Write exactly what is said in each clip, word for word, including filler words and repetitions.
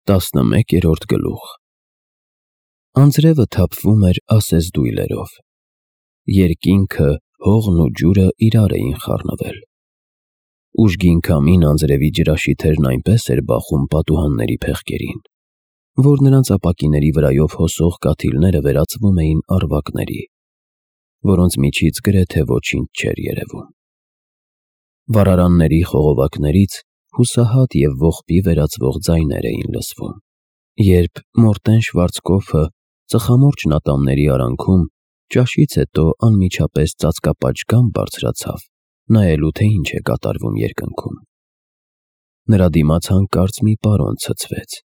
Տասնմեկերորդ գլուխ Անձրևը թափվում էր ասես դույլերով։ Երկինքը, հողն ու ջուրը իրար էին խառնվել։ Ուժգին քամին անձրևի ջրաշիթերն այնպես էր բախում պատուհանների փեղկերին, որ նրանց ապակիների վրայով հոսող կաթիլները վերածվում էին առվակների, որոնց միջից գրեթե ոչինչ չէր երևում։ Վառարանների խողովակներից հուսահատ և ողբի վերածվող ձայներ էին լսվում, երբ Մորտեն Շվարցկոֆը ծխամորճն ատամների արանքում ճաշից հետո անմիջապես ծածկապաճ բարձրացավ, նայելու թե ինչ է կատարվում երկնքում։ Նրա դիմաց հանկարծ մի պարոն ցցվեց,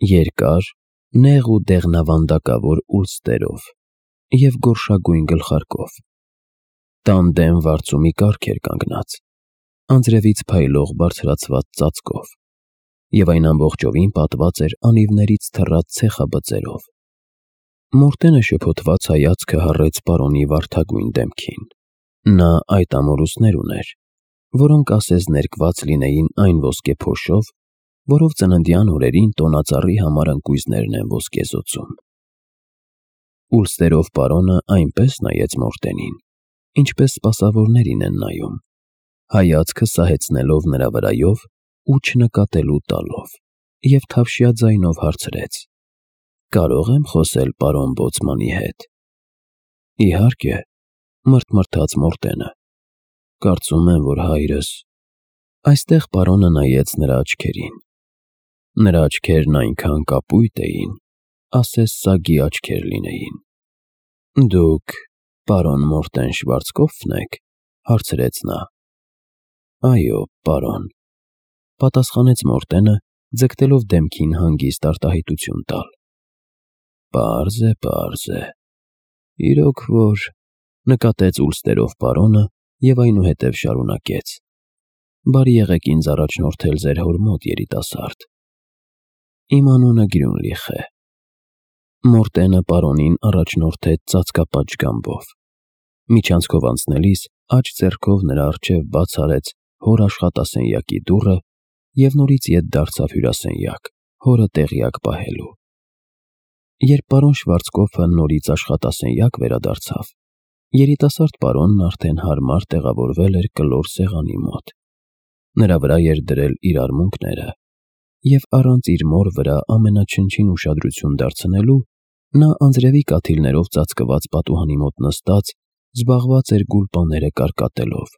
երկար, նեղ ու դեղնավանդակավոր ուլստերով և գորշագույն գլխարկով։ Տան դեմ վարձու մի կառք էր կանգնած, անձրևից փայլող բարձրացված ծածկով, և այն ամբողջովին պատված էր անիվներից թռած ցեխաբծերով։ Մորտենը շփոթված հայացքը հառեց պարոնի վարդագույն դեմքին։ Նա այդ ամորուսներ ուներ, որոնք ասես ներկված լինեին այն ոսկեփոշով, որով ծննդյան օրերին տոնածառի համար ընկույզներն են ոսկեզօծում։ Ուլստերով պարոնը այնպես նայեց Մորտենին, ինչպես սպասավորներին են նայում, հայացքը սահեցնելով նրա վրայով ու չնկատելու տալով, և թավշյա ձայնով հարցրեց. «Կարո՞ղ եմ խոսել պարոն բոցմանի հետ»։ «Իհարկե», մրթմրթաց Մորտենը, «կարծում եմ, որ հայրս…» Այստեղ պարոնը նայեց նրա աչքերին։ Նրա աչքերն այնքան կապույտ էին, ասես սագի աչքեր լինեին։ «Դուք պարոն Մորտեն Շվարցկոֆն եք»։ հարցրեց նա։ «Այո, պարոն», պատասխանեց Մորտենը, ձգտելով դեմքին հանգիստ արտահայտություն տալ։ «Պարզ է, պարզ է, իրոք որ…» նկատեց ուլստերով պարոնը և այնուհետև շարունակեց. «Բարի եղեք ինձ առաջնորդել ձեր հոր մոտ, երիտասարդ։ Իմ անունը Գրյունլիխ է»։ Մորտենը պարոնին առաջնորդեց ծածկապաճ գամբով։ Միջանցքով անցնելիս աջ ձեռքով նրա առջև բաց արեց հոր աշխատասենյակի դուռը և նորից ետ դարձավ հյուրասենյակ, հորը տեղյակ պահելու։ Երբ պարոն Շվարցկոֆը նորից աշխատասենյակ վերադարձավ, երիտասարդ պարոնն արդեն հարմար տեղավորվել էր կլոր սեղանի մոտ։ Նրա վրա էր դրել իր արմունկները, և առանց իր մոր վրա ամենաչնչին ուշադրություն դարձնելու, նա անձրևի կաթիլներով ծածկված պատուհանի մոտ նստած զբաղված էր գուլպաները կարկատելով,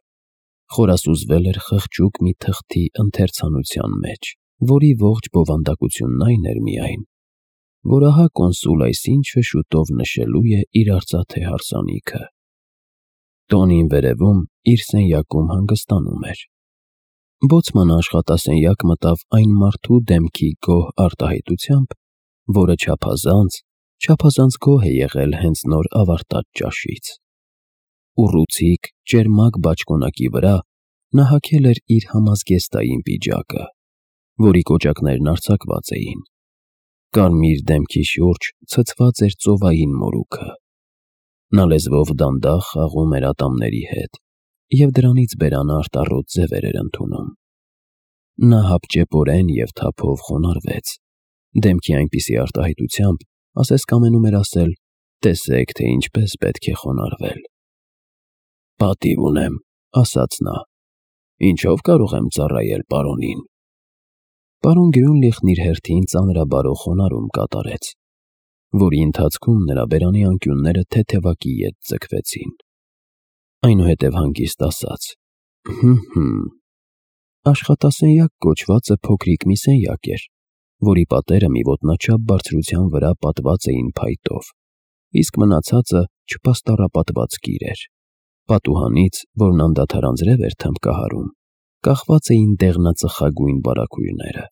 խորասուզվել էր խղճուկ մի թղթի ընթերցանության մեջ, որի ողջ բովանդակությունն այն էր միայն, որ ահա կոնսուլ այսինչը շուտով նշելու է իր արծաթե հարսանիքը։ Տոնին վերևում իր սենյակում հանգստանում էր։ Բոցմանը աշխատասենյակ մտավ այն մարդու դեմքի գոհ արտահայտությամբ, որը չափազանց, չափազանց գոհ է եղել հենց նոր ավարտած ճաշից։ Ուռուցիկ, ճերմակ բաճկոնակի վրա նա հագել էր իր համազգեստային պիջակը, որի կոճակներն արձակված էին։ Կարմիր դեմքի շուրջ ցցված էր ծովային մորուքը։ Նա լեզվով դանդաղ խաղում էր ատամների հետ, և դրանից բերանը արտառոտ ձևեր էր ընդունում։ Նա հապճեպորեն և թափով խոնարհվեց, դեմքի այնպիսի արտահայտությամբ, ասես կամենում էր ասել. «Տեսեք, թե ինչպես պետք է խոնարհվել»։ «Պատիվ ունեմ», ասաց նա, «ինչով կարող եմ ծառայել պարոնին»։ Պարոն Գրյունլիխն իր հերթին ծանրաբարո խոնարհում կատարեց, որի ընթացքում նրա բերանի անկյունները թեթևակի ետ ձգվեցին։ Այնուհետև հանգիստ ասաց. «Հը՛֊հը՛։ Աշխատասենյակ կոչվածը փոքրիկ մի սենյակ էր, որի պատերը մի ոտնաչափ բարձրության վրա պատված էին փայտով, իսկ մնացածը չպաստառապատված կիր էր։ Պատուհանից, որն անդադար անձրև էր թմբկահարում, կախված էին դեղնածխագույն բարագույրները։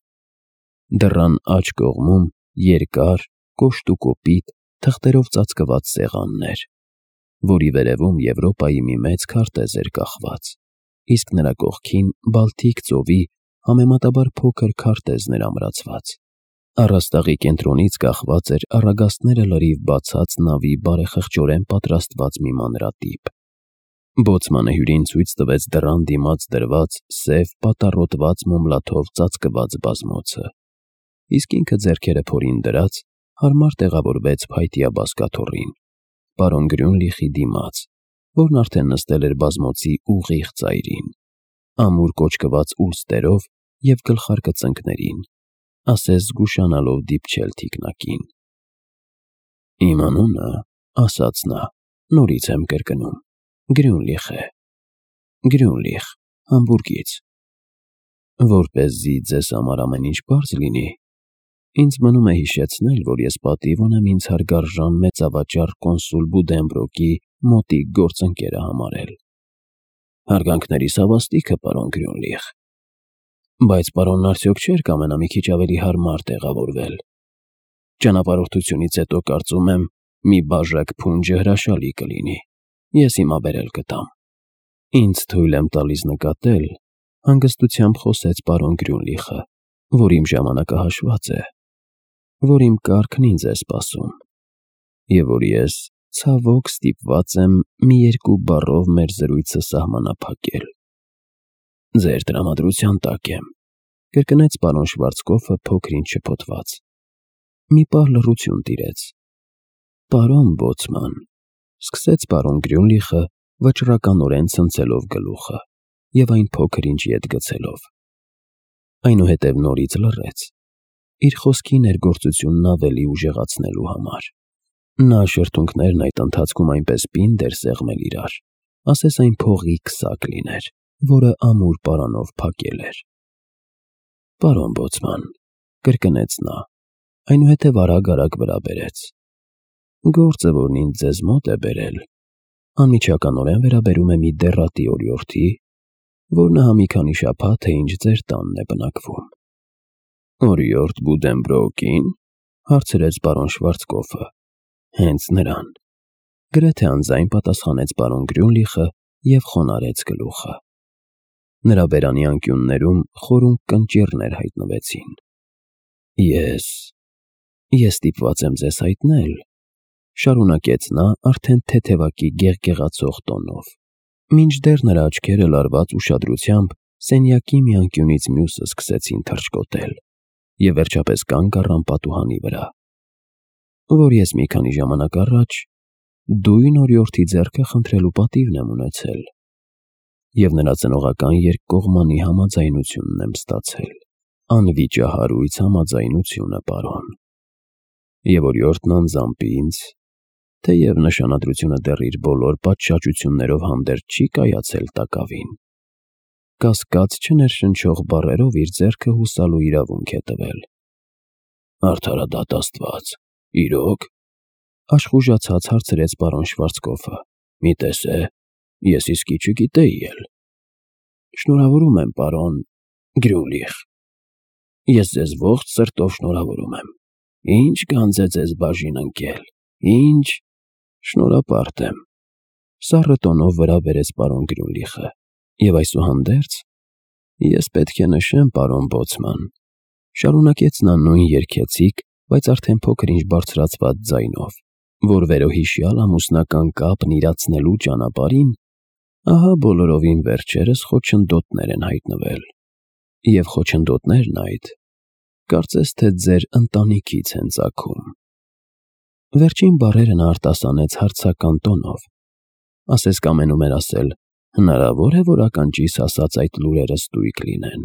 Դռան աջ կողմում երկար, կոշտ ու կոպիտ, թղթերով ծածկված սեղանն էր, որի վերևում Եվրոպայի մի մեծ քարտեզ էր կախված, իսկ նրա կողքին Բալթիկ ծովի համեմատաբար փոքր քարտեզն էր ամրացված։ Առաստաղի կենտրոնից կախված էր առագաստները լրիվ բացած նավի բարեխղճորեն պատրաստված մի մանրատիպ։ Բոցմանը հյուրին ցույց տվեց դռան դիմաց դրված սև պատառոտված մոմլաթով ծածկված բազմոցը, իսկ ինքը ձեռքերը փորին դրած հարմար տեղավորվեց փայտյա բազկաթոռին, պարոն Գրյունլիխի դիմաց, որն արդեն նստել էր բազմոցի ուղիղ ծայրին, ամուր կոճկված ուլստերով և գլխարկը ծնկներին, ասես զգուշանալով դիպչել թիկնակին։ Իմ անունը, ասաց նա, նորից եմ կրկնում, Գրյունլիխ է, Գրյունլիխ, Համբուրգից։ Որպեսզի ձեզ համար ամեն ինչ պարզ լինի, ինձ մնում է հիշեցնել, որ ես պատիվ ունեմ ինձ հարգարժան մեծավաճառ կոնսուլ Բուդենբրոկի մոտիկ գործընկերը համարել։ Հարգանքներիս հավաստիքը, պարոն Գրյունլիխ, բայց պարոնն արդյոք չէր կամենա մի քիչ ավելի հարմար տեղավորվել։ Ճանապարհորդությունից հետո կարծում եմ, մի բաժակ փունջը հրաշալի կլինի, ես հիմա բերել կտամ։ Ինձ թույլ եմ տալիս նկատել, հանգստությամբ խոսեց պարոն Գրյունլիխը, որ իմ ժամանակը հաշված է, որ իմ կառքն ինձ է սպասում, և որ ես, ցավոք, ստիպված եմ մի երկու բառով մեր զրույցը սահմանափակել։ Ձեր տրամադրության տակ եմ, կրկնեց պարոն Շվարցկոֆը փոքր-ինչ շփոթված։ Մի պահ լռություն տիրեց։ Պարոն բոցման, սկսեց պարոն Գրյունլիխը, վճռականորեն ցնցելով գլուխը և այն փոքր-ինչ ետ գցելով։ Այնուհետև նորից լռեց, իր խոսքի ներգործությունն ավելի ուժեղացնելու համար։ Նա շրթունքներն այդ ընթացքում այնպես պինդ էր սեղմել իրար, ասես այն փողի քսակ լիներ, որը ամուր պարանով փակել էր։ Պարոն բոցման, կրկնեց նա, այնուհետև արագ-արագ վրա բերեց։ Գործը, որն ինձ ձեզ մոտ է բերել, անմիջականորեն վերաբերում է մի դեռատի օրիորդի, որ նա մի քանի շաբաթ է ինչ ձեր տանն է բնակվում։ Օրիորդ Բուդենբրոկի՞ն, հարցրեց պարոն Շվարցկոֆը։ Հենց նրան, գրեթե անձայն պատասխանեց պարոն Գրյունլիխը և խոնարհեց գլուխը։ Նրա բերանի անկյուններում խորունկ կնճիռներ հայտնվեցին։ Ես, ես ստիպված եմ ձեզ հայտնել, շարունակեց նա արդեն թեթևակի գեղգեղացող տոնով, մինչդեռ նրա աչքերը լարված ուշադրությամբ սենյակի մի անկյունից մյուսը սկսեցին թռչկոտել և վերջապես կանգ առան պատուհանի վրա, որ ես մի քանի ժամանակ առաջ դույն օրիորդի ձեռքը խնդրելու պատիվն եմ ունեցել և նրա ծնողական երկկողմանի համաձայնությունն եմ ստացել, անվիճահարույց համաձայնությունը, պարոն, և օրիորդն անձամբ ինձ, թեև նշանադրությունը դեռ իր բոլոր պատշաճություններով հանդերձ չի կայացել տակավին, կասկած չներշնչող բառերով իր ձեռքը հուսալու իրավունք է տվել։ Արդարադատ Աստված, իրո՞ք, աշխուժացած հարցրեց պարոն Շվարցկոֆը։ Մի տես է, ես իսկի չգիտեի էլ։ Շնորհավորում եմ, պարոն Գրյունլիխ, ես ձեզ ողջ սրտով շնորհավորում եմ։ Ինչ գանձ է ձեզ բաժին ընկել, ինչ… Շնորհապարտ եմ, սառը տոնով վրա բերեց պարոն Գրյունլիխը, և այսուհանդերձ, ես պետք է նշեմ, պարոն բոցման, շարունակեց նա նույն երգեցիկ, բայց արդեն փոքր-ինչ բարձրացված ձայնով, որ վերոհիշյալ ամուսնական կապն իրացնելու ճանապարհին ահա բոլորովին վերջերս խոչընդոտներ են հայտնվել, և խոչընդոտներն այդ, կարծես թե ձեր ընտանիքից են ծագում։ Վերջին բառերը նա արտասանեց հարցական տոնով, ասես կամենում էր ասել. հնարավոր է, որ ականջիս ասած այդ լուրերը ստույգ լինեն։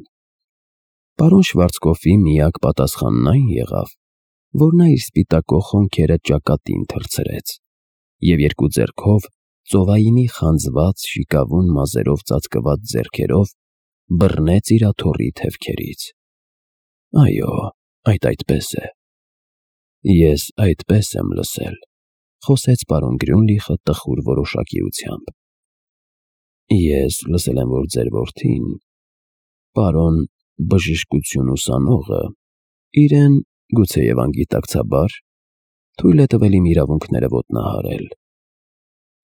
Պարոն Շվարցկոֆի միակ պատասխանն այն եղավ, որ նա իր սպիտակող հոնքերը ճակատին թռցրեց և երկու ձեռքով ծովայինի խանձված շիկավուն մազերով ծածկված ձեռքերով բռնեց իր աթոռի թևքերից։ Այո, այդ այդպես է։ Ես այդպես եմ լսել, խոսեց պարոն Գրյունլիխը տխուր որոշակիությամբ։ Ես լսել եմ, որ ձեր որդին, պարոն բժշկություն ուսանողը, իրեն, գուցեև անգիտակցաբար, թույլ է տվել իմ իրավունքները ոտնահարել։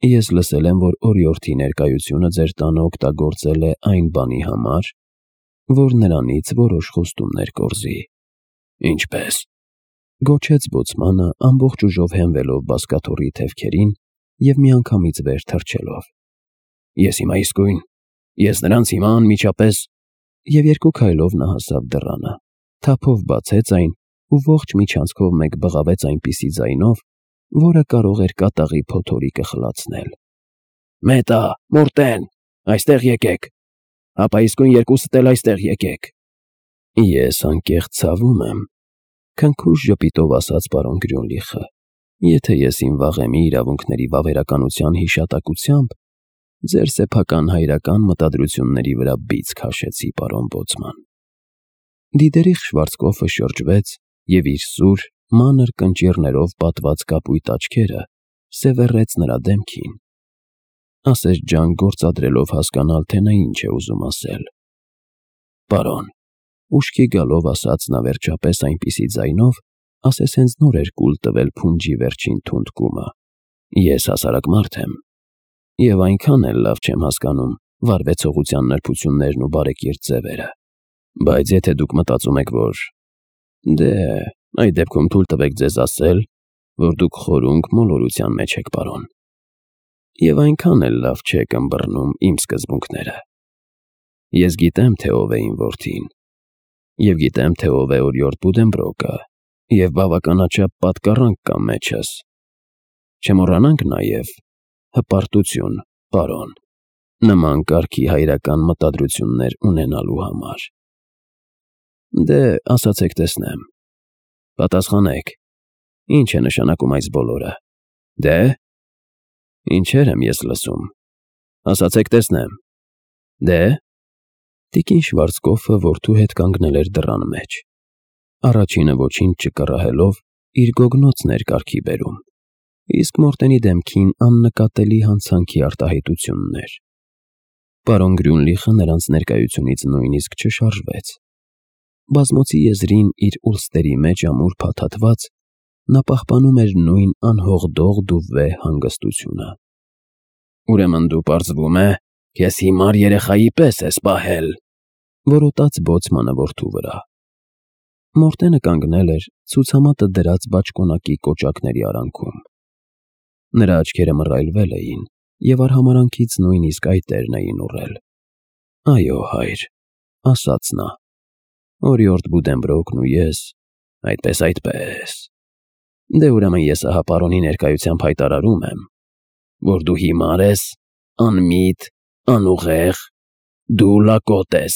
Ես լսել եմ, որ օրիորդի ներկայությունը ձեր տանը օգտագործել է այն բանի համար, որ նրանից որոշ խոստումներ կորզի։ Ինչպե՞ս, գոչեց բոցմանը ամբողջ ուժով հենվելով բազկաթոռի թևքերին և միանգամից վեր թռչելով։ Ես հիմա իսկույն, ես նրանց հիմա անմիջապես… Եվ երկու քայլով նա հասավ դռանը, թափով բացեց այն ու ողջ միջանցքով մեկ բղավեց այնպիսի ձայնով, որը կարող էր կատաղի փոթորիկը խլացնել. «Մետա, Մորտեն, այստեղ եկեք, ապա իսկույն երկուսդ էլ այստեղ եկեք»։ Ես անկեղծ ցավում եմ, քնքուշ ժպիտով ասաց պարոն Գրյունլիխը, եթե ես իմ վաղեմի իրավունքների վավերականության հիշատակությամբ ձեր սեփական հայրական մտադրությունների վրա բիծ քաշեցի, պարոն բոցման։ Դիդերիխ Շվարցկոֆը շրջվեց և իր սուր, մանր կնճիռներով պատված կապույտ աչքերը սևեռեց նրա դեմքին, ասես ջանք գործադրելով հասկանալ, թե նա ինչ է ուզում ասել։ Պարոն, ուշքի գալով ասաց նա վերջապես այնպիսի ձայնով, ասես հենց նոր էր կուլ տվել փունջի վերջին թունդկումը. ես հասարակ մարդ եմ, և այնքան էլ լավ չեմ հասկանում վարվեցողության նրբություններն ու բարեկիրթ ձևերը, բայց եթե դուք մտածում եք, որ… Դե, այդ դեպքում թույլ տվեք ձեզ ասել, որ դուք խորունկ մոլորության մեջ եք, պարոն, և այնքան էլ լավ չեք ըմբռնում իմ սկզբունքները։ Ես գիտեմ, թե ով է իմ որդին, և գիտեմ, թե ով է Օրիորդ Բուդենբրոկը, և բավականաչափ պատկառանք կա մեջս։ Չմոռանանք նաև հպարտություն, պարոն, նման կարգի հայրական մտադրություններ ունենալու համար։ Դե, ասացեք տեսնեմ, պատասխանեք, ինչ է նշանակում այս բոլորը։ Դե, ինչեր եմ ես լսում, ասացեք տեսնեմ։ Դե… Տիկին Շվարցկոֆը որդու հետ կանգնել էր դռան մեջ, առաջինը ոչինչ չկռահելով իր գոգնոցն էր կարգի բերում, իսկ Մորտենի դեմքին աննկատելի հանցանքի արտահայտությունն էր։ Պարոն Գրյունլիխը նրանց ներկայությունից նույնիսկ չշարժվեց։ Բազմոցի եզրին իր ուլստերի մեջ ամուր փաթաթված, նա պահպանում էր նույն անհողդողդ ու վեհ հանգստությունը։ «Ուրեմն դու, պարզվում է, քեզ հիմար երեխայի պես ես պահել», որոտաց բոցմանը որդու վրա։ Մորտենը կանգնել էր ցուցամատը դրած բաճկոնակի կոճակների արանքում։ Նրա աչքերը մռայլվել էին, և արհամարհանքից նույնիսկ այտերն էին ուռել։ «Այո, հայր», ասաց նա, «Օրիորդ Բուդենբրոկն ու ես… այդպես, այդպես… Դե ուրեմն ես ահա պարոնի ներկայությամբ հայտարարում եմ, որ դու հիմար ես, անմիտ, անուղեղ, դու լակոտ ես,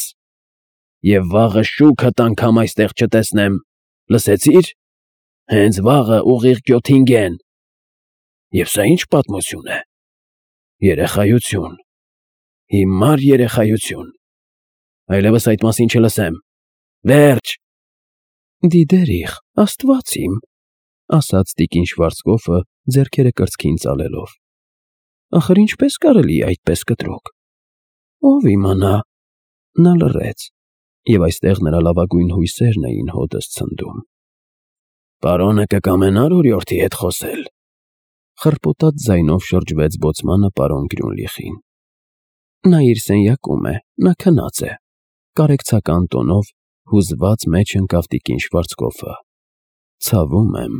և վաղը շուքդ անգամ այստեղ չտեսնեմ, լսեցի՞ր, հենց վաղը ուղիղ կյոթին գեն… Եվ սա ի՞նչ պատմություն է… երեխայություն, հիմար երեխայություն… Այլևս այդ մասին չլսեմ… Վերջ»։ «Դիդերիխ, աստված իմ», ասաց տիկին Շվարցկոֆը ձեռքերը կրծքին ծալելով, «ախր ինչպե՞ս կարելի է այդպես կտրուկ… Ով իմանա…» Նա լռեց, և այստեղ նրա լավագույն հույսերն էին հօդս ցնդում։ «Պարոնը կկամենա՞ր օրիորդի հետ խոսել», խռպոտած ձայնով շրջվեց բոցմանը պարոն Գրյունլիխին։ «Նա իր սենյակում է, նա քնած է», կարեկցական տոնով հուզված մեջ ընկավ տիկին Շվարցկոֆը։ «Ցավում եմ»,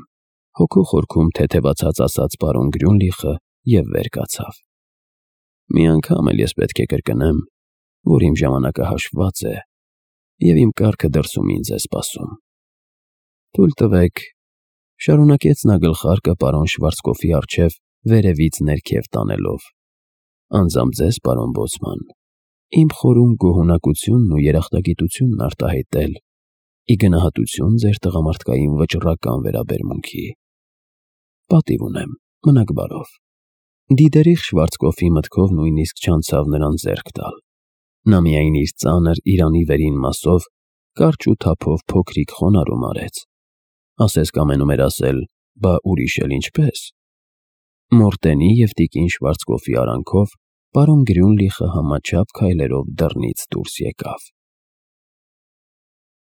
հոգու խորքում թեթևացած ասաց պարոն Գրյունլիխը և վեր կացավ։ «Մի անգամ էլ ես պետք է կրկնեմ, որ իմ ժամանակը հաշվված է, և իմ կառքը դրսում ինձ է սպասում»։ «Թույլ տվեք…» շարունակեց նա գլխարկը պարոն Շվարցկոֆի առջև վերևից ներքև տանելով, «անձամբ ձեզ, պարոն բոցման, իմ խորին գոհունակությունն ու երախտագիտությունն արտահայտել, ի գնահատություն ձեր տղամարդկային վճռական վերաբերմունքի։ Պատիվ ունեմ, մնաք բարով»։ Դիդերիխ Շվարցկոֆի մտքով նույնիսկ չանցավ նրան ձեռք տալ։ Նա միայն իր ծանր իրանի վերին մասով կարճ ու թափով փոքրիկ խոնարհում արեց, ասես կամենում էր ասել. «Բա ուրիշ էլ ինչպե՞ս»։ Մորտենի և տիկին Շվարցկոֆի արանքով պարոն Գրյունլիխը համաչափ քայլերով դռնից դուրս եկավ։